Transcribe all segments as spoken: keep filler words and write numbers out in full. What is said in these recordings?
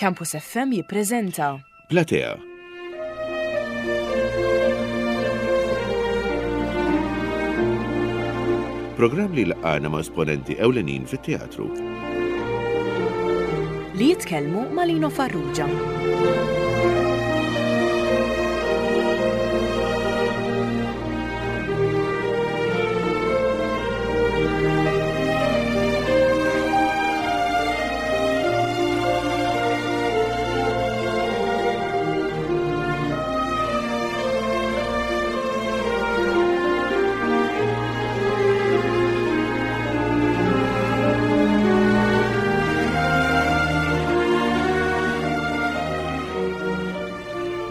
Campus F M jippreżenta Platea. Programm li laqana ma' esponenti ewlenin fit-teatru. Li jitkellmu ma' Lino Farrugia.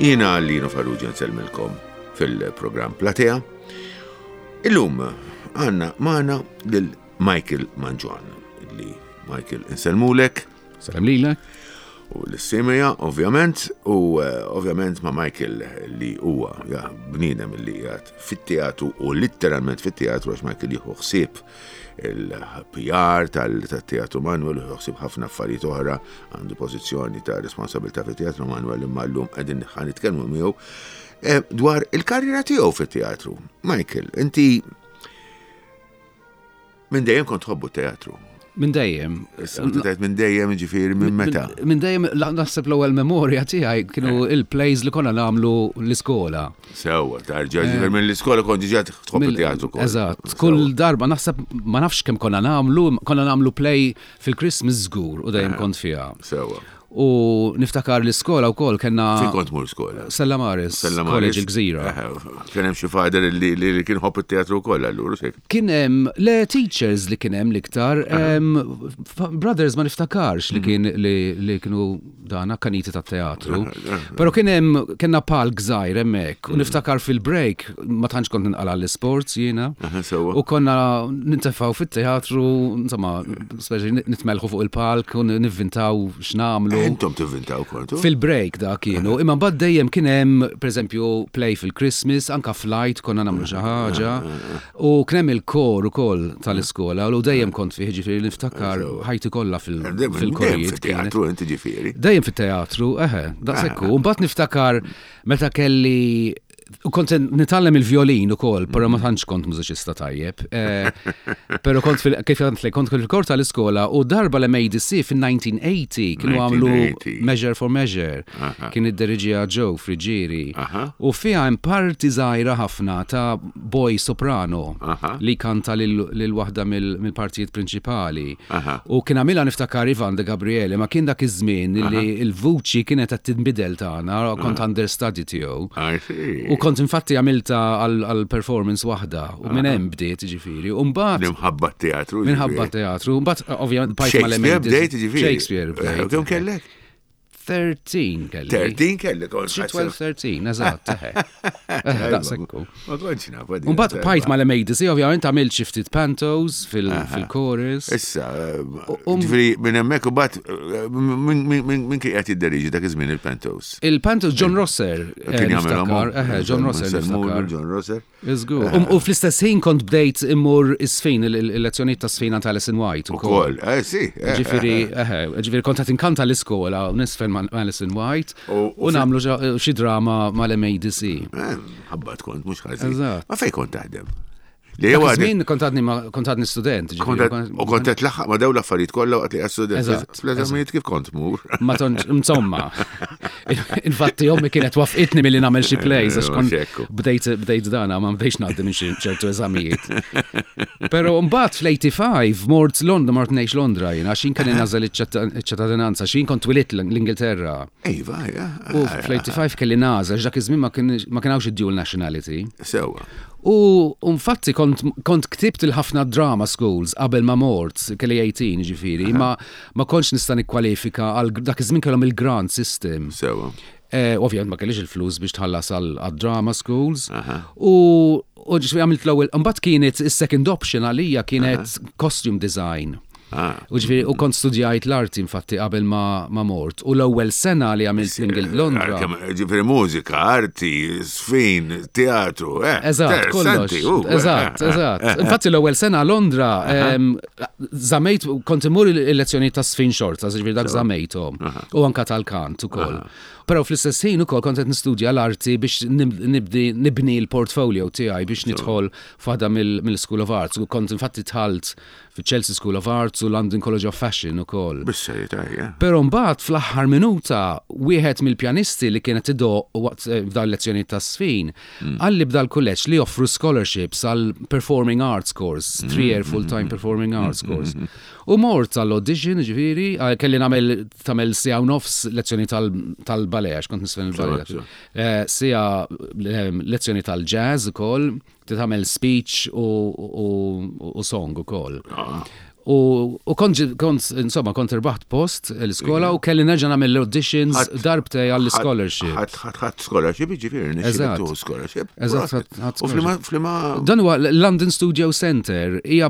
Jiena Lino Farrugia nsellmilkom fil-programm Platea. Illum għandna magħna lil Michael Mangion, li Michael insellmulek. Salam lilek. U l-simija, ovvjament, u eh, ovvjament ma' Michael li huwa ja, bniedem li qiegħed fit-teatru u litteralment fit-teatru, għax Michael jieħu ħsieb il-P R tal-Teatru Manuel, jieħu ħsieb ħafna affarijiet oħra, għandu pożizzjoni ta' responsabilità fit-Teatru Manuel, imma llum qegħdin ħa nitkellmu miegħu eh, dwar il-karriera tiegħu fit-teatru. Michael, inti minn dejjem kont tħobbu teatru. Minn dejjem. Issa, inti tgħid minn dejjem, ġifieri minn meta? Minn dejjem, la- naħseb l-ewwel memorja tiegħi kienu il-plays li konna nagħmlu l-iskola. Sewwa, tarġa, ġifieri minn l-iskola kont diġà tħobb Mill- il-teatru kol. Eżatt, kull darba naħseb, ma nafx kemm konna nagħmlu, konna nagħmlu play fil-Christmas żgur u dejjem kont fiha. Sewwa. U niftakar l-iskola wkoll kellna Fejn kont tmur skola? Stella Maris, Stella Maris. College il-Gżira. Eh, Kien hemm xi father li li li kien ħobb it-teatru wkoll allura xek. Kien hemm le teachers li kien hemm l-iktar, em, fa- brothers ma niftakarx li kien li, li kienu dana kaniti ta' teatru. Però kien hemm kellna palk żgħir hemmhekk u niftakar fil-break ma tantx kont ninqala l-sports jiena. Aha, sewwa. U konna nintefgħu fit-teatru, insomma, speċi nitmelħu fuq il-palk u nivvintaw x'nagħmlu. Intom tivvintaw kontu? Fil-break da kienu, imma mbagħad dejjem kien hemm pereżempju play fil-Christmas, anka flight konna nagħmlu xi ħaġa. U kien hemm il-kor ukoll tal-iskola u dejjem kont fih, ġifieri niftakar ħajti kollha fil- Dejjem fil-korijiet. fit-teatru inti ġifieri. Dejjem fit-teatru, eħe, daqshekk hu. U mbagħad niftakar meta kelli u kont nitgħallem il-violin ukoll, però ma tantx kont mużiċista tajjeb. Eh, Però kont fil kif għandlek, kont fil-kor tal-iskola u darba l-M A D C fil-elf disa' mija u tmenin kienu għamlu elf disa' mija u tmenin. Measure for Measure. Aha. Kien id-deriġija Joe Frigieri. Aha. U fiha hemm parti żgħira ħafna ta' boy soprano Aha. li kanta lil lil waħda mill- mill-partijiet prinċipali. Aha. U kien għamilha niftakar Ivan de Gabriele, ma kien dak iż-żmien li l-vuċi kienet qed tinbidel tagħna, kont understudy tiegħu. I see. U kont infatti għamilta għal performance waħda u minn hemm bdiet ġifieri. U mbagħad Minħabba teatru. minħabba teatru, mbagħad ovvjament bajt Shakespeare mal-M A D C. bdejt ġifieri. Shakespeare Eh, bdejt. Kemm kellek? tlettax kelli. tlettax kellek. kont Xi ħadd- tnax tlettax, eżatt, eħe. Eħe, daqshekk hu. Ma kontx naf. U mbagħad bajt mal-M A D C, ovvjament għamilt xi ftit pantos fil-chorus. Issa, um- ġifieri minn hemmhekk u bat minn kien qed jidderiġi dak iż-żmien il-pantos? Il-pantos John Rosser. eh, Kien jagħmelhom niftakar, eħe, John Rosser niftakar. John Rosser. Iżgur. U fl-istess ħin kont bdejt immur is-sfin, il-lezzjonijiet ta' sfina ta' Alison White. Ukoll, eh sì. eh, Ġifieri, eħe, ġifieri kont qed inkanta l-iskola u nisfen ma' Alison White U- u u nagħmlu ġa- xi drama mal-M A D C. eh, Ħabbat kont, mhux ħażin. Eżatt. Ma fejn kont taħdem? Li Dak huwa iż-żmien kont għadni ma- kont għadni student. ġifieri, Kont u kont qed tlaħħaq ma' dawn l-affarijiet kollha waqt li qed student. Eżatt, Fl-eżamijiet kif kont tmur? Ma tantx, insomma, infatti ommi kienet waqfitni milli nagħmel xi plays, għax kont Xekku. bdejt bdejt dana, ma bdejx ngħaddi minn xi ċertu eżamijiet. Però mbagħad fl-tminja u tmenin mort Londra, mort ngħix Londra jien, għax jien kelli nagħżel iċ-ċittadinanza, għax jien kont twilidt l-Ingilterra. Iva, ja. U fl-tminja u tmenin kelli nagħżel, għax dak iż-żmien ma kien ma kien hawnx id-dual nationality. Sewwa. U infatti kont, kont ktibt il-ħafna drama schools qabel ma mort, kelli tmintax ġifieri, ma, ma kontx nista' nikkwalifika għal dak iż-żmien kellhom il-grant system. Sewwa. Eh, ovvjament ma kellix il-flus biex tħallas għal għal drama schools. Aha. U u ġifieri għamilt l-ewwel, mbagħad kienet is-second option għalija kienet costume design. Ah. U ġifieri, u kont studjajt l-arti infatti qabel ma, ma mort. U l-ewwel sena li għamilt l-Ingil Londra. Ġifieri mużika, arti, żfin, teatru, eh. Eżatt, kollox. Interessanti, u, eh, Eżatt, eh, eżatt. eh, Infatti l-ewwel sena Londra, em, żammejt, kont imur il-lezzjoni ta' żfin xorta, ġifieri dak żammejthom. U anka tal-kant ukoll. Però fl-istess ħin ukoll kont qed nistudja l-arti biex nib- nibdi nibni l-portfolio tiegħi biex nidħol f'waħda mill-School of Arts. U kont infatti dħalt fi Chelsea School of Arts u London College of Fashion ukoll. Bis-serjetà, ja. Però mbagħad fl-aħħar minuta wieħed mill-pjanisti li kienet idoqq waqt eh, f'dan lezzjoni ta' żfin qalli b'dal kulleġġ li joffru scholarships għal Performing Arts course, three year full-time Performing Arts course. U mort għall-audition, ġifieri, eh, kelli nagħmel tagħmel siegħa u nofs lezzjoni tal-ballet, għax kont niżfen il-ballet. Sure, Eh, Siegħa eh, lezzjoni tal-jazz ukoll, tagħmel speech u, u, u song ukoll. U, u kont, kont, insomma, kont irbaħt post l-iskola u kelli nerġa' nagħmel l-auditions Ħadd- darbtejn għall-scholarship. Ħadd ħadd ħadd scholarship, ġifieri, Eżatt. nixxilek scholarship. Eżatt, ħadd- ħadd U flima, flima. Dan huwa London Studio Center, hija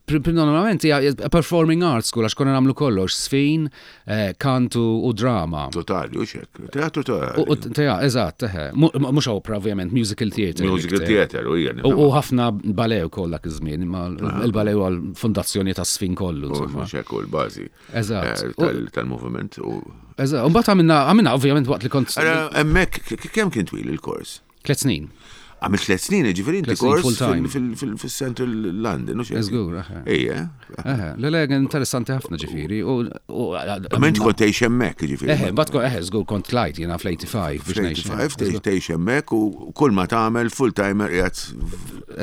normalment hija performing arts school għax konna nagħmlu kollox, żfin, eh, kantu u drama. Totali, u xek. Teatru U, u totali. teja, eżatt, eħe. Mhux opera, ovvjament, musical theater. Musical iktar. theater, u hija. U u ħafna ballet ukoll dak iż-żmien, imma il-ballet huwa l-fondazzjoni ta' żfin kollu, insomma. Xek u l-bażi. Eżatt. eh, tal- Tal-movement. u- Eżatt, u mbagħad għamilna, għamilna ovvjament waqt li kont Ara, hemmhekk, k- kemm kien twil il-kors? tliet snin. Għamil tliet snin, ġifieri inti Tliet snin kors full time. fil-Central London, u xek. Żgur, eħe. Ejja. Eħe, le le, interessanti ħafna ġifieri. U, u, Ma inti kont tgħix hemmhekk, ġifieri. Eħe, bat kon, eħe, żgur kont tlajt jiena fl-eighty-five biex ngħix. tlieta u tmenin, tgħix tgħix hemmhekk u kull ma tagħmel full timer qiegħed.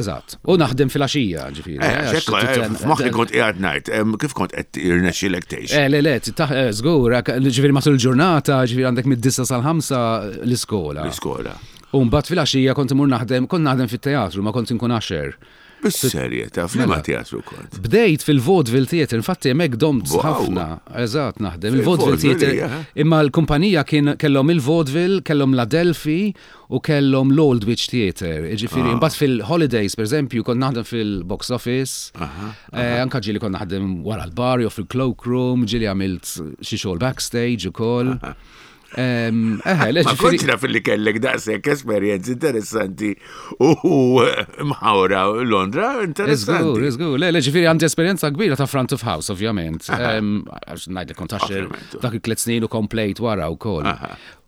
Eżatt. U naħdem fil-għaxija ġifieri. Eh, eh, xekk, għax eh, titen- f'moħħi kont qiegħed ngħid, em, kif kont qed irnexxielek tgħix? Eh, le, le, taħ- eh, żgur, ġifieri matul il-ġurnata, ġifieri għandek mid-disa sal-ħamsa l-iskola. L-iskola. U mbagħad fil-għaxija kont imur naħdem, kont naħdem fit-teatru, ma kont inkun usher. Bis-serjetà, f'liema Mela. teatru kont? Bdejt fil-Vaudeville Theatre, infatti hemmhekk domt Wow. ħafna, eżatt naħdem. Il-Vaudeville Fil-Vaudeville, Theatre, ja. imma l-kumpanija kien kellhom il-Vaudeville, kellhom l-Adelphi u kellhom l-Aldwych Theatre. Ġifieri, Ah. imbagħad fil-holidays, per eżempju, kont naħdem fil-box office, eh, anka ġieli kont naħdem wara l-bar jew fil-cloakroom, ġieli għamilt xi xogħol backstage ukoll. Em, Eħe, le, Ma ġifieri- kontx naf li kellek daqshekk esperjenzi interessanti u mħawra Londra, Żgur, interessanti. żgur. Le, le, ġifieri għandi esperjenza kbira ta' front of house, ovvjament. Em, Għax ngħidlek kont usher Ovvjament. dak il-tliet snin u komplejt wara wkoll.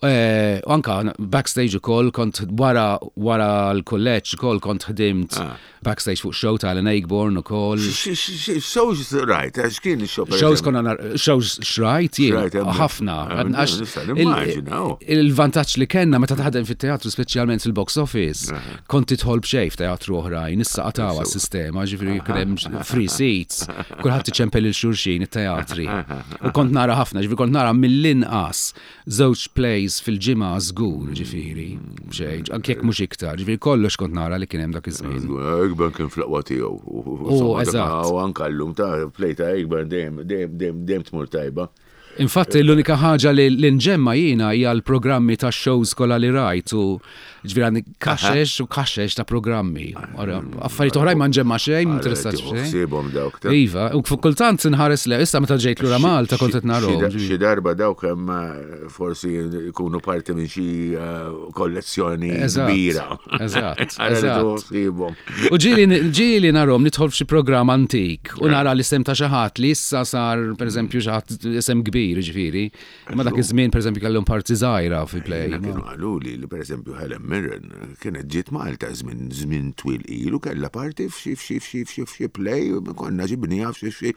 Eh, U anka backstage ukoll kont wara wara l-kolleġġ ukoll kont ħdimt backstage fuq show ta' Alan Ayckbourn ukoll. Shows rajt, għax kien il-show. per Shows eżempju? konna nar- shows xrajt jien, Xrajt, hemm. ħafna. Ah, Għax nista' il- nimmaġina, oh. Il-vantaġġ li kellna meta taħdem fit-teatru, speċjalment fil-box office, kont tidħol b'xejn f'teatru oħrajn, issa qatgħuha s-sistema, ġifieri kien hemm free seats, kulħadd iċempel lil xulxin it-teatri. U kont nara ħafna, ġifieri kont nara mill-inqas żewġ plays fil-ġimgħa żgur, ġifieri, b'xejn, anke jekk mhux iktar, ġifieri kollox kont nara li kien hemm dak iż-żmien. Żgur, Ayckbourn kien fl-aqwa tiegħu. U, Insomma, dak- eżatt. U anka llum ta' play ta' Ayckbourn dejjem dejjem dejjem dejjem tmur tajba. Infatti l-unika ħaġa li l-inġemma jiena hija l-programmi ta' shows kollha li rajt u ġifieri għandi kaxex u kaxex ta' programmi. Ora, affarijiet oħrajn ma nġemma xejn, m'interessat xejn. Ħsiebhom dawk ta' Iva, u kultant nħares le, issa meta ġejt lura Malta kont qed narahom. Xi- Xi darba dawk hemm eh, forsi jkunu parti minn xi eh, kollezzjoni Eżatt, kbira. eżatt, Ara li eżatt. tieħu ħsiebhom. U ġieli ġieli narahom nidħol f'xi programm antik u nara l-isem ta' xi ħadd li issa sar pereżempju xi ħadd isem kbir, ġifieri. Imma dak iż-żmien pereżempju kellhom parti żgħira fi play. Jiena kienu qalu li li pereżempju Helen Mirren kienet ġiet Malta żmien żmien twil ilu kellha parti f'xi f'xi f'xi f'xi f'xi play konna ġibniha f'xi f'xi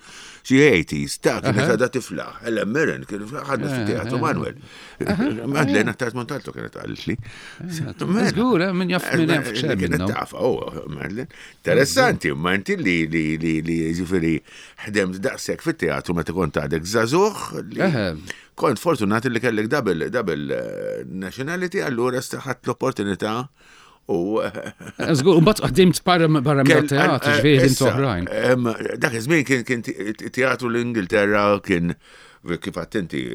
xi eighties ta' kienet għadha tifla. Helen Mirren kien ħadna fit-teatru Manuel. Madeleine Attard Montalto kienet qalet li. Żgur, eh, min jaf min jaf xejn Kienet minnhom. tafa, oh, Madeleine. Interessanti, ma inti li li li li ġifieri ħdemt daqshekk fit-teatru meta kont għadek żagħżugħ li Eħe. kont fortunat li kellek double, double eh, nationality, allura ħadt l-opportunità u eh, Żgur, u mbagħad ħdimt barra barra kell- mill-teatru, eh, ġifieri ħdimt issa, oħrajn. em, Dak iż-żmien kien kien teatru l-Ingilterra kien kif attenti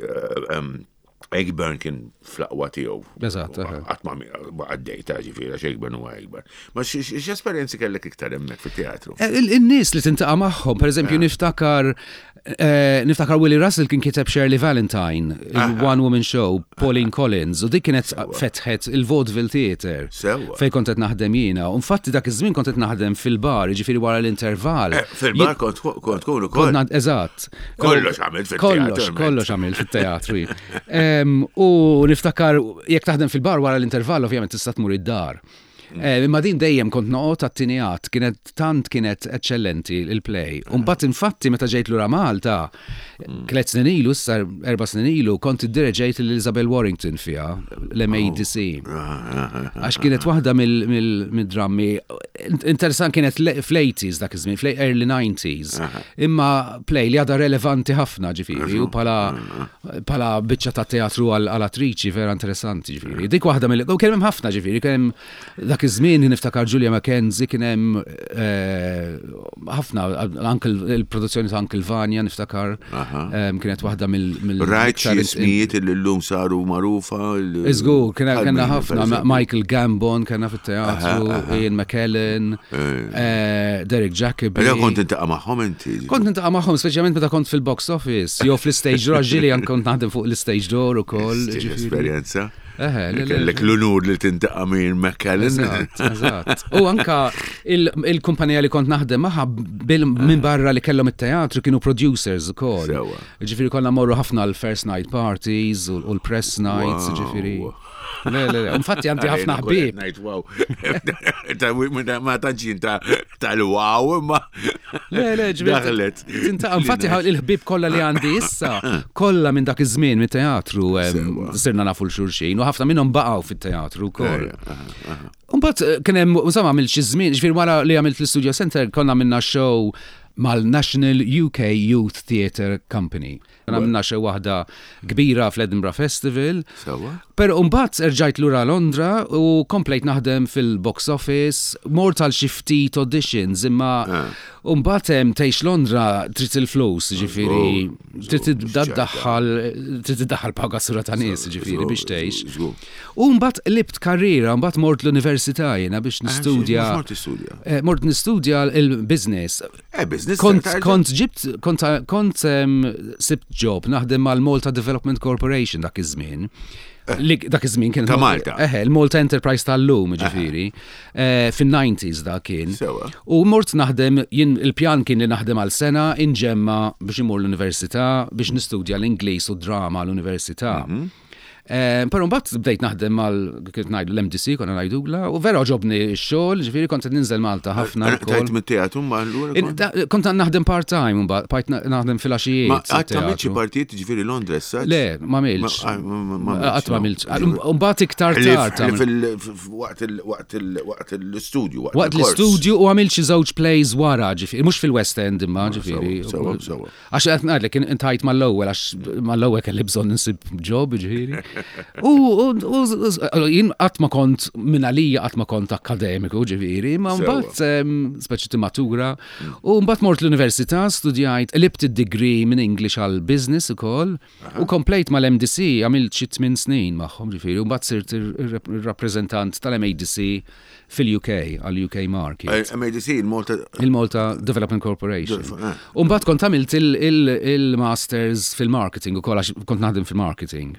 Ayckbourn kien fl-aqwa tiegħu. Eżatt, eħe. Qatt ma ma għaddejta ġifieri għax Ayckbourn huwa Ayckbourn. Ma x'esperjenzi kellek iktar hemmhekk fit-teatru? Eh, il-nies li tiltaqa' magħhom, per eżempju, niftakar eh, niftakar Willie Russell kien kiteb Shirley Valentine, il-One Woman Show, Pauline Collins, u dik kienet fetħet il-Vaudeville Theatre. Sewwa. Fej kont qed naħdem jiena. U infatti dak iż-żmien kont qed naħdem fil-bar, jiġifieri wara l-intervall. Eh, Fil-bar kont kont tkun ukoll. Kont eżatt. Kollox għamilt fit-teatru, Kollox, kollox għamilt fit-teatru. Em, U niftakar, jekk taħdem fil-bar wara l-intervall, ovvjament tista' tmur id-dar. Eh, Imma din dejjem kont noqgħod għat-tieni att, kienet tant kienet eċċellenti il-play. U mbagħad infatti meta ġejt lura Malta, tliet snin ilu, issa erba' snin ilu, kont iddireġejt lil Isabel Warrington fiha, l-M A D C. Għax kienet waħda mill-drammi, interessant, kienet le- fl-eighties dak iż-żmien, fl-early nineties. Imma play li għadha relevanti ħafna ġifieri, u bħala bħala biċċa ta' teatru għal għal attriċi vera interessanti ġifieri. Dik waħda mill u kien hemm ħafna ġifieri, kien hemm dak iż-żmien niftakar Julia McKenzie, kien hemm eh, ħafna, anke il-produzzjoni ta' Uncle Vanya niftakar em, kienet waħda mill mill Rajt xi iktar- ismijiet li llum saru magħrufa. Iżgur, kena bħal kena min, ħafna, per eżempju? Michael Gambon kena fit-teatru, Ian McKellen, eh, Derek Jacobi. Però kont tiltaqa' magħhom inti. Kont niltaqa' magħhom, speċjalment meta kont fil-box office, jew fl-stage door, ġieli jan kont naħdem fuq l-stage door ukoll. Ġifieri. Esperjenza. Eħe, le, le, Kellek l-unur li tiltaqa' minn McKellen. Eżatt, eżatt. U anka il- il-kumpanija li kont naħdem magħha bil- minn barra li kellhom it-teatru kienu producers ukoll. Sewwa. Ġifieri konna morru ħafna l-first night parties u u l-press nights, Wow. ġifieri. Le, le, le. Infatti għandi ħafna ħbieb. Ngħid wow. Ta' Ma tantx ta' tal-wow imma. Le, le, ġifieri. Daħlet. Tiltaqa', infatti il-ħbieb kollha li għandi issa, kollha minn dak iż-żmien mit-teatru em, Sewwa. sirna nafu 'l xulxin u ħafna minnhom baqgħu fit-teatru wkoll. Mbagħad eh, kien hemm insomma għamilt xi żmien, ġifieri wara li għamilt l-Studio Center konna minna show mal-National U K Youth Theatre Company. Għamilna show waħda kbira fl-Edinburgh Festival. Sewwa. Pero mbagħad erġajt lura Londra u komplejt naħdem fil-box office, mort għal xi ftit auditions, imma mbagħad hemm tgħix Londra trid il-flus, ġifieri trid iddaħħal trid iddaħħal paga sura ta' nies, ġifieri biex tgħix. Żgur. U mbagħad qlibt karriera, mbagħad mort l-università jiena biex nistudja. Mort tistudja. Eh, Mort nistudja il-business. Eh, business. Kont, tarġa- kont ġibt, kont, kont um, sibt job naħdem mal-Malta Development Corporation dak iż-żmien. Li dak iż-żmien kien Ta' Malta. Eħe, il-Malta Enterprise tal-lum, ġifieri. Eh, Fin-nineties da kien. Sewwa. U mort naħdem, jien il-pjan kien li naħdem għal sena inġemma biex imur l-università biex nistudja l-Ingliż u drama l-università. Mhm. Eh, Però mbagħad bdejt naħdem mal kif ngħidu l-M D C konna ngħidula u vera għoġobni x-xogħol, ġifieri kont qed ninżel Malta ħafna Eh, wkoll. Tajt mit-teatru ma allura. In- kont- da- Kont naħdem part-time, mbagħad bqajt naħdem filgħaxijiet. Ma qatt għamilt xi teatru. partijiet ġifieri Londra issa? Le, ma għamiltx. Ma- ma- ma- Qatt ma no. għamiltx. Mbagħad iktar tard. Li għamilt- fil- f- waqt il- waqt il- waqt l-istudju. Waqt il-kors. l-istudju u għamilt xi żewġ plays wara, ġifieri, mhux fil-West End imma ġifieri. Sewwa, sewwa. Għax qed ngħidlek intajt mal-ewwel għax mal-ewwel kelli bżonn insib job, ġifieri. U u- u jien qatt ma kont minn għalija qatt ma kont akademiku, ġifieri, ma Sewwa. mbagħad em, speċi timmatura. U mbagħad mort l-università, studjajt, qlibt id-degree minn English għal business ukoll u komplejt mal-M D C għamilt xi tmien snin magħhom ġifieri, u mbagħad sirt ir-rappreżentant tal-M A D C fil-U K għal U K market. Eh, M A D C, il-Malta. Il-Malta Development Corporation. Eh. U mbagħad kont għamilt il- il- il-masters fil-marketing ukoll għax kont naħdem fil-marketing.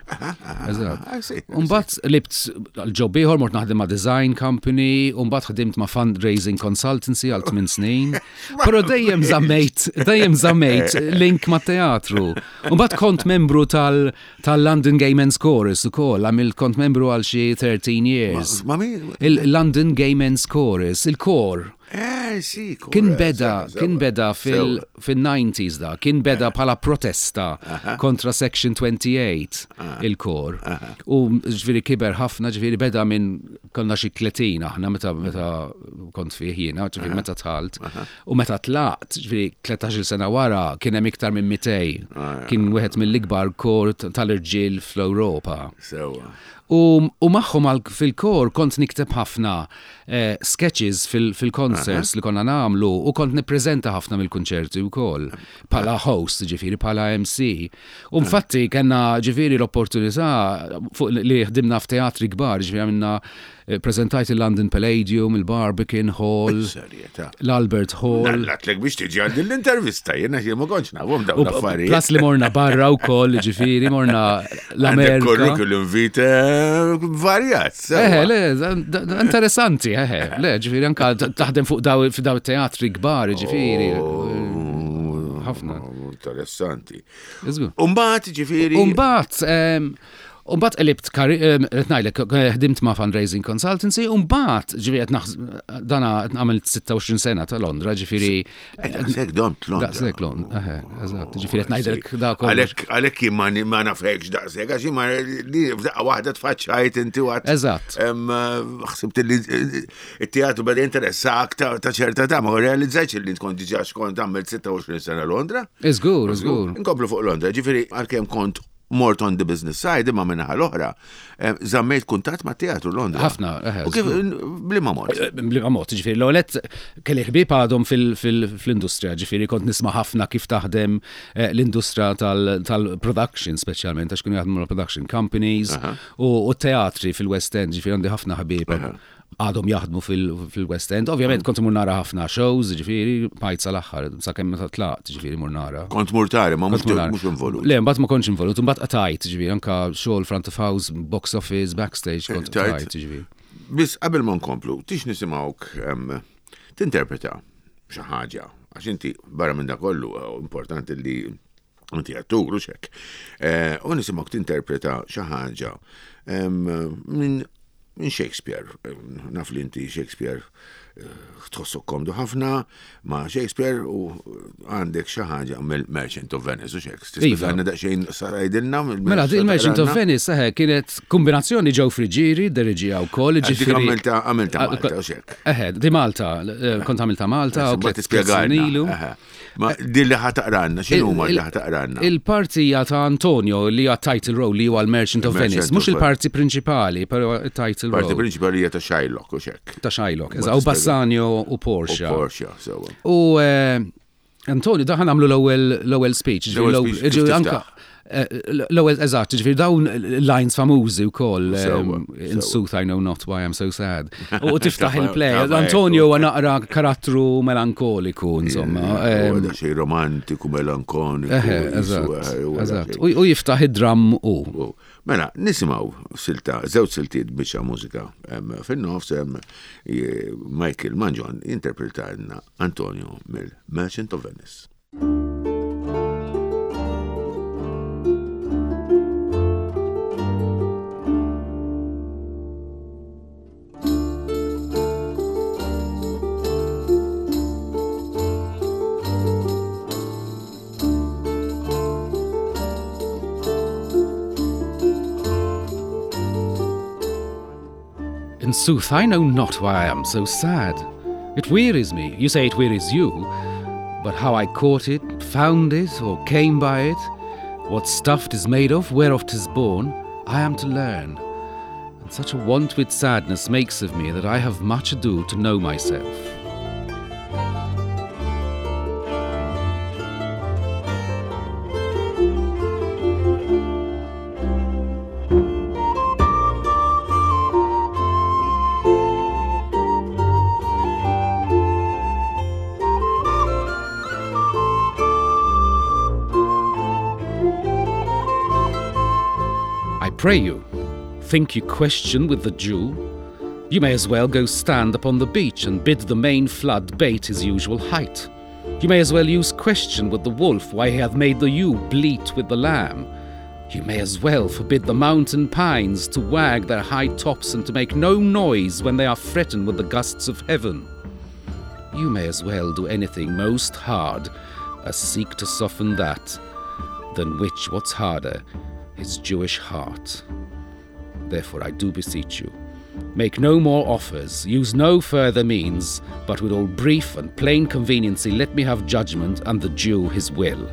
Eżatt. I see, I U mbagħad qlibt l-job ieħor, mort naħdem ma' design company, u mbagħad ħdimt ma' fundraising consultancy għal tmien snin. Però dejjem żammejt, dejjem żammejt link ma' teatru. U mbagħad kont membru tal- tal-London Gay Men's Chorus ukoll, għamilt kont membru għal xi thirteen years. Ma min? Il-London Gay Men's Chorus, il-kor. Eh, sì. Kien kor, beda, sewa, kien sewa. beda fil- Sewa. fil-nineties da, kien beda bħala protesta kontra Section twenty-eight il-kor. U ġifieri kiber ħafna, ġifieri beda minn konna xi tletin aħna meta meta kont fih jiena, ġifieri meta dħalt. U meta tlaqt, ġifieri tlettax-il sena wara, kien hemm iktar minn mitejn. Kien wieħed mill-ikbar kor tal-irġiel fl-Ewropa. Sewa. U, u magħhom fil-kor kont nikteb ħafna eh, sketches fil-concerts li konna nagħmlu u kont nippreżenta ħafna mill-kunċerti wkoll bħala host, ġifieri bħala M C. U infatti kellna ġifieri l-opportunità fuq li ħdimna f'teatri kbar, ġifieri għamilna eh, prezentajt il-London Palladium, il-Barbican Hall, Serjetà. l-Albert Hall. Nallatlek biex tiġi għandi l-intervista, jiena jien ma kontx nafhom dawn U l-affarijiet. plus li morna barra u koll, ġifieri, morna Għandek l-Amerika. curriculum vitae varjat. Sewwa. Eħe, le, da- da- interessanti, eħe, le, ġifieri, anka taħdem fuq daw, daw teatri kbar, ġifieri. Oh, ħafna. Interessanti. Iżgur. Umbagħad ġifieri. Umbagħad, umbagħad qlibt, qed ngħidlek, ħdimt ma' fundraising consultancy, umbagħad, ġifieri, qed naħs- dana għamilt sitta u għoxrin sena ta' Londra, ġifieri. Daqshekk domt Londra. Daqshekk Londra, eħe, eżatt, ġifieri, qed ngħidlek da kollox. Għalhekk għalhekk jien ma ma nafekx daqshekk, għax jien ma li f'daqqa waħda tfaċċajt inti għat. Eżatt. Ħsibt li it-teatru beda jinteressak ta' ta' ċerta ta' ma realizzajtx li tkun diġà xkont għamilt sitta u għoxrin sena Londra. Iżgur, iżgur. Inkomplu fuq Londra, ġifieri għalkemm kont mort on the business side, imma min-naħa l-oħra, eh, żammejt kuntatt ma' teatru Londra. Ħafna, eħe, U kif, bliema mod? Bliema mod, ġifieri, l-għolet kelli ħbieb għadhom fil-industrija, ġifieri, kont nisma' ħafna kif taħdem eh, l-industrija tal-production, speċjalment, għax kienu jaħdmu production companies u u teatri fil-West End, ġifieri, għandi ħafna ħbieb għadhom jaħdmu fil-West End. Ovvjament kont imur nara ħafna shows, ġifieri, bqajt sal-aħħar, sakemm meta tlaqt, ġifieri, mur nara. Kont mur tara, ma mhux Kont mur nara. mhux involut. Le, mbagħad ma kontx involut, mbagħad qatajt, ġifieri, anka xogħol front of house, box office, backstage, kont Tajt. qatajt, ġifieri. Biss qabel ma nkomplu, tix nisimgħuk em, tinterpreta xi ħaġa, għax inti barra minn da kollu eh, importanti li inti attur u xek. Eh, U nisimgħuk tinterpreta xi ħaġa em, minn minn Shakespeare. Em, Naf li inti Shakespeare eh, tħossok komdu ħafna ma' Shakespeare u għandek xi ħaġa mill-Merchant of Venice u xek. Iva. Tispjegana daqsxejn sarajdilna Mela, di il-Merchant of Venice, eħe, kienet kombinazzjoni Joe Friggieri, deriġija u koll, Dik ġifieri. għamilta għamilta Malta u xek. Eħe, di Malta, eh, kont għamilta Malta, u Ma tliet tispjegalna. snin ilu. Eħe. Ma din li ħa taqralna, x'inhu ma li ħa taqralna? Il-parti hija ta' Antonio li hija title role li huwa l-Merchant of Il-Merchant Venice, mhux of il-parti prinċipali, però il-title Parti role prinċipali hija ta' Shylock u xek. Ta' Shylock, Ma eżatt, u tispjega. Bassanio u U Portia. Portia, sewwa. U eh, Antonio, daħan għamlu l-ewwel l-ewwel speech, ġifieri L-ewwel l-ewwel- speech kif ġifieri anka tiftaħ? eh, l-ewwel eżatt, ġifieri dawn lines famużi wkoll, Sewwa, in sewwa. sooth I know not why I'm so sad. U tiftaħ il-play, Tafa- Antonio huwa naqra karattru melankoliku, insomma. Huwa em, da xej romantiku, melankoniku. Eħe, jisu, eżatt, eħe, huwa da eżatt. xej. U u jiftaħ id-dram u. U, mela, nisimgħu silta, żewġ siltiet biċċa mużika em, fin-nofs em, je- Michael Mangion interpretalna Antonio mill-Merchant of Venice. In sooth, I know not why I am so sad. It wearies me. You say it wearies you. But how I caught it, found it, or came by it, what stuff 'tis made of, whereof 'tis born, I am to learn. And such a want with sadness makes of me that I have much ado to know myself. I pray you, think you question with the Jew? You may as well go stand upon the beach and bid the main flood bate his usual height. You may as well use question with the wolf why he hath made the ewe bleat with the lamb. You may as well forbid the mountain pines to wag their high tops and to make no noise when they are threatened with the gusts of heaven. You may as well do anything most hard as seek to soften that, than which what's harder, his Jewish heart. Therefore I do beseech you, make no more offers, use no further means, but with all brief and plain conveniency let me have judgment and the Jew his will.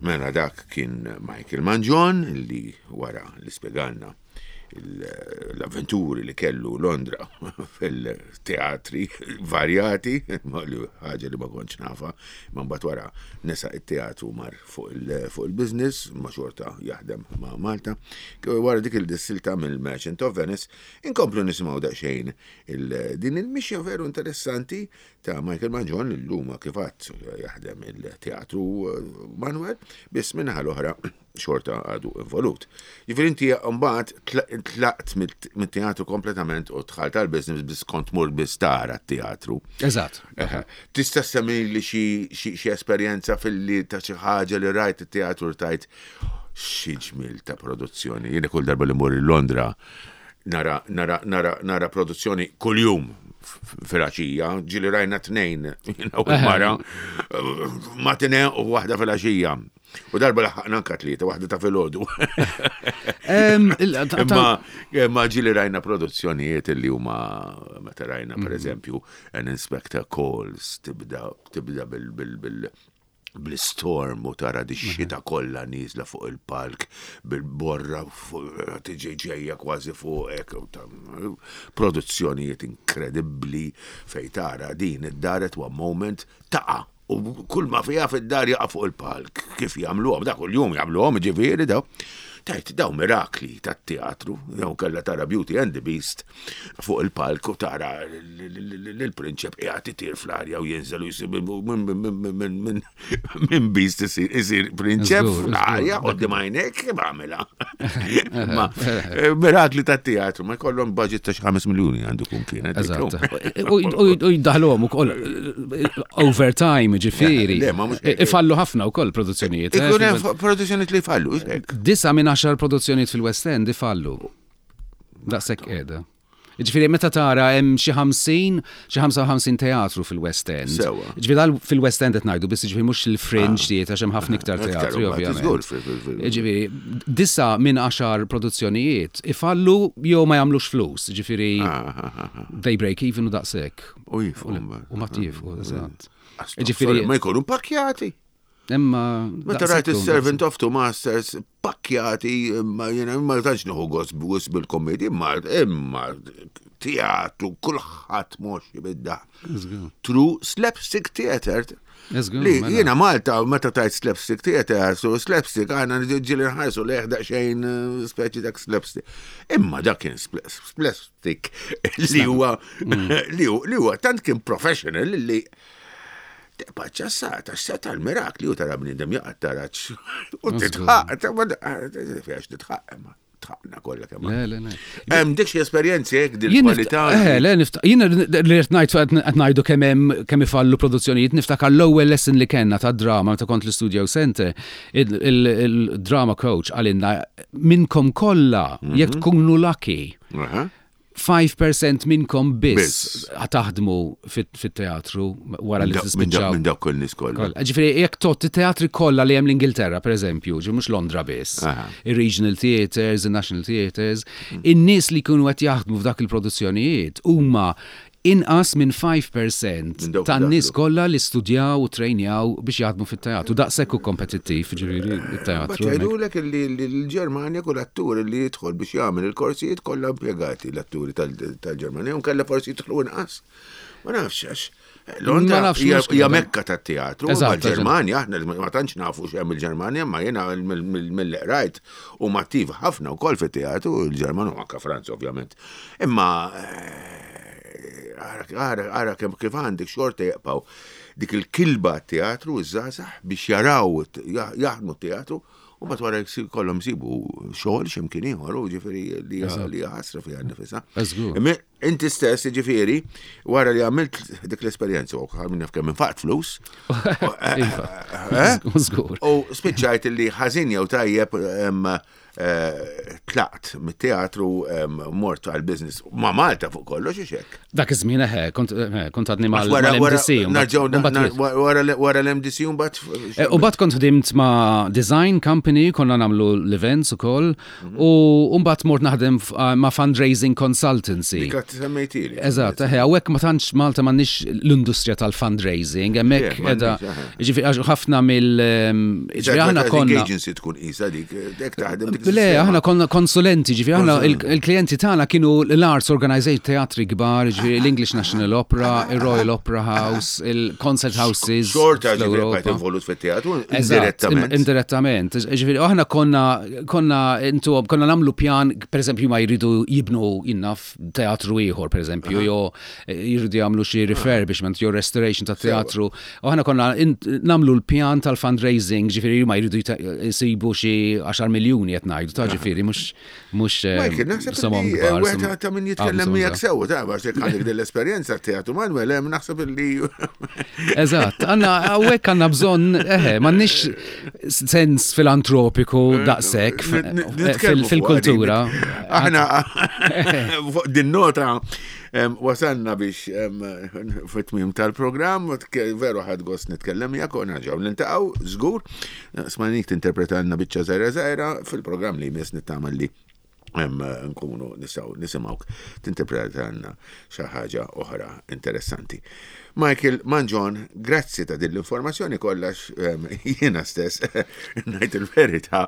Mela dak kien Michael Mangion li wara li spjegalna l-avventuri li kellu Londra fil-teatri varjati, li ħaġa li ma kontx nafa, ma mbagħad wara nesa it-teatru mar fuq il-business, ma xorta jaħdem ma' Malta. Wara dik il-dissilta mill-Merchant of Venice, inkomplu nisimgħu daqsxejn din il-mixja veru interessanti ta' Michael Mangion l-luma kif għadt jaħdem il-teatru Manuel, biss minnaħa l-oħra xorta għadu involut. Jiġifieri inti mbagħad tlaqt mit-teatru kompletament u dħalt għal-business biss kont mur biss tara t-teatru. Eżatt. Tista' semmi li xi esperjenza fil-li ta' xi ħaġa li rajt it-teatru tajt xi ġmil ta' produzzjoni. Jiena kull darba li mur Londra nara nara nara nara produzzjoni kuljum fil-għaxija, ġieli rajna tnejn, jiena u mara, matinee u waħda fil-għaxija. U darba laħaqna anka tlieta, waħda ta' filgħodu. Imma imma ġieli rajna produzzjonijiet li huma meta rajna pereżempju An Inspector Calls tibda tibda bil bil bil bl-storm u tara di xita kollha nieżla fuq il-palk bil-borra tiġi ġejja kważi fuqek produzzjonijiet inkredibbli fej tara din id-dar at one moment taqa' u kull ma fiha fid-dar jaqa' fuq il-palk. Kif jagħmluhom da kuljum jagħmluhom ġifieri daw. Tajt daw mirakli tat-teatru, jew kellha tara Beauty and the Beast fuq il-palk u tara l-prinċep qiegħed itir fl-arja u jinżel u jsib minn Beast isir prinċep fl-arja quddiem għajnejk kif għamilha. Ma mirakli tat-teatru ma jkollhom budget ta' xi ħames miljuni għandu kun kienet. Eżatt. U jdaħluhom ukoll overtime ġifieri. Ifallu ħafna wkoll produzzjonijiet. Ikun hemm produzzjonijiet li jfallu. Disa minn għaxar produzzjonijiet fil-West End ifallu. Daqshekk qiegħda. Ġifieri meta tara hemm xi ħamsin, xi ħamsa u ħamsin teatru fil-West End. Ġifieri fil-West End qed ngħidu biss ġifieri mhux il-fringe theatre għax hemm ħafna iktar teatri ovvjament. Ġifieri disa minn għaxar produzzjonijiet ifallu jew ma jagħmlux flus, ġifieri they break even u daqshekk. U jifqu. U ma jifqu, eżatt. Ġifieri ma jkunu pakkjati. Imma meta rajt is-Servant of Two Masters pakkjati, imma jiena ma tantx nieħu gost gost bil-komedji, imma imma teatru kulħadd moxxi bid-daħ. True slapstick theater. Li jiena Malta meta tajt slapstick theater, so slapstick għandna ġieli nħarsu lejh daqsxejn speċi dak slapstick. Imma dak kien slapstick li huwa li huwa tant kien professional li tibqa' ċassata, x'seta l-mirakli u tara bniedem jaqgħad taraġ. U titħaq, għax titħaq, imma tħaqna kollha kemm. Le, le, le. Hemm dik xi esperjenzi hekk din kwalità. Eh, le, jiena li qed ngħid qed ngħidu kemm hemm kemm ifallu produzzjonijiet, niftakar l-ewwel lesson li kellna tad-drama meta kont l-Studio Center, il-drama coach qalilna minnkom kollha jekk tkunu lucky. five percent minnkom biss taħdmu fit-teatru wara li tispiċċaw. Minn dawk kull nies kollha. Ġifieri jekk tot it-teatri kollha li hemm l-Ingilterra pereżempju, ġifieri mhux Londra biss, ir-regional theatres, in-national theatres, in-nies li jkunu qed jaħdmu f'dak il-produzzjonijiet huma inqas minn five percent tan-nies kollha li studjaw u trejnjaw biex jaħdmu fit-teatru. Daqshekk hu kompetittiv, ġifieri it-teatru. Jgħidulek li l-Ġermanja kull attur li jidħol biex jagħmel il-korsijiet kollha impjegati l-atturi tal-Ġermanja u nkella forsi jidħlu inqas. Ma nafx għax. Londra hija mekka tat-teatru, ma l-Ġermanja aħna ma tantx nafu x'hemm il-Ġermanja, ma jiena mill qrajt u mattiv ħafna wkoll fit-teatru il-Ġermanja u anke Franza ovvjament. Imma ara ara kemm kif għandek xorta jaqpaw dik il-kilba teatru iż-żgħażagħ biex jaraw jaħdmu teatru U mbagħad wara kollhom sibu xogħol x'imkien ieħor, u ġifieri li li ħasra fiha nnifisha. Inti stess, ġifieri, wara li għamilt dik l-esperjenza, u għamilna f'kemm infaqt flus. Żgur. U spiċċajt li ħażin jew tajjeb tlaqt mit-teatru, mort għal-business ma' Malta fuq kollox, hekk. Dak iż-żmien eħe, kont għadni mal-M D C. Wara l-M D C mbagħad. U mbagħad kont ħdimt ma' design company, konna nagħmlu l-events ukoll, u mbagħad mort naħdem ma' fundraising consultancy. Dik semmejtili. Eżatt, eħe, hawnhekk ma tantx Malta m'għandniex l-industrija tal-fundraising, hemmhekk qiegħda, ġifieri ħafna mill ġifieri aħna konna. Agency tkun isa dik, dik taħdem. Le, aħna konna konsulenti, ġifieri aħna il-klijenti tagħna kienu l-arts organization, teatri kbar, ġifieri l-English National Opera, il-Royal Opera House, il-Concert Houses. Xorta ġifieri bqajt involut fit-teatru indirettament. Indirettament. Ġifieri aħna konna konna intu konna nagħmlu pjan, per eżempju, ma jridu jibnu jinnaf teatru ieħor, per eżempju, jew jridu jagħmlu xi refurbishment jew restoration ta' teatru. U aħna konna nagħmlu l-pjan tal-fundraising, ġifieri ma jridu jsibu xi għaxar miljuni qed ngħidu, ta' ġifieri mhux mhux Michael, naħseb somom li kbar. Wieħed ta' min jitkellem miegħek sew, ta' għax jekk għandek din l-esperjenza teatru Manuel, hemm naħseb li Eżatt, għandna hawnhekk għandna bżonn, eħe, m'għandniex sens filantropiku daqshekk fil-kultura. Aħna fuq din nota wasalna biex fit-tmiem tal-programm, veru ħadt gost nitkellem miegħek u nerġgħu niltaqgħu żgur. Smajnik tinterpretalna biċċa żgħira żgħira fil-programm li jmiss, nittama li nkunu nistgħu nisimgħuk tinterpretalna xi ħaġa oħra interessanti. Michael Mangion, grazzi ta' din l-informazzjoni kollax, jiena stess ngħid il-verità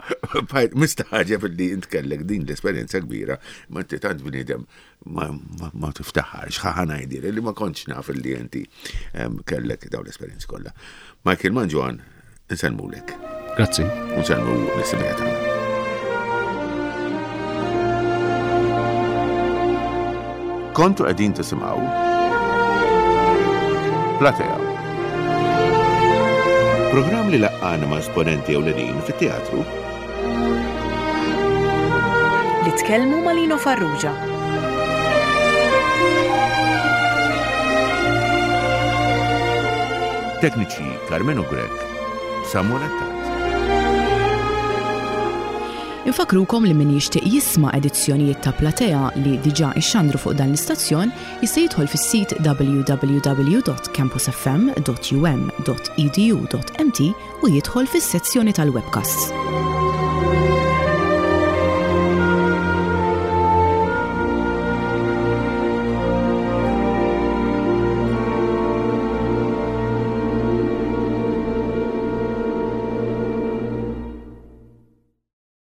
mistagħġeb li int kellek din l-esperjenza kbira, ma inti tant bniedem ma, ma, ma tiftaħarx, ħa ngħidir li ma kontx naf li inti kellek dawn l-esperjenzi kollha. Michael Mangion, insellmulek. Grazzi. Nsellmu lis-semmiegħa tagħna. Kontu qegħdin tisimgħu Platea. Programm li laqqana ma' esponenti ewlenin fit-teatru li tkellmu ma' Lino Farrugia. Tekniċi Carmenu Grech, Samuel Attard. Infakrukom li min jixtieq jisma' edizzjonijiet ta' Platea li diġà ixxandru fuq dan l-istazzjon jista' jidħol fis-sit w w w dot campusfm dot u m dot e d u dot m t u jidħol fis-sezzjoni tal-webcasts.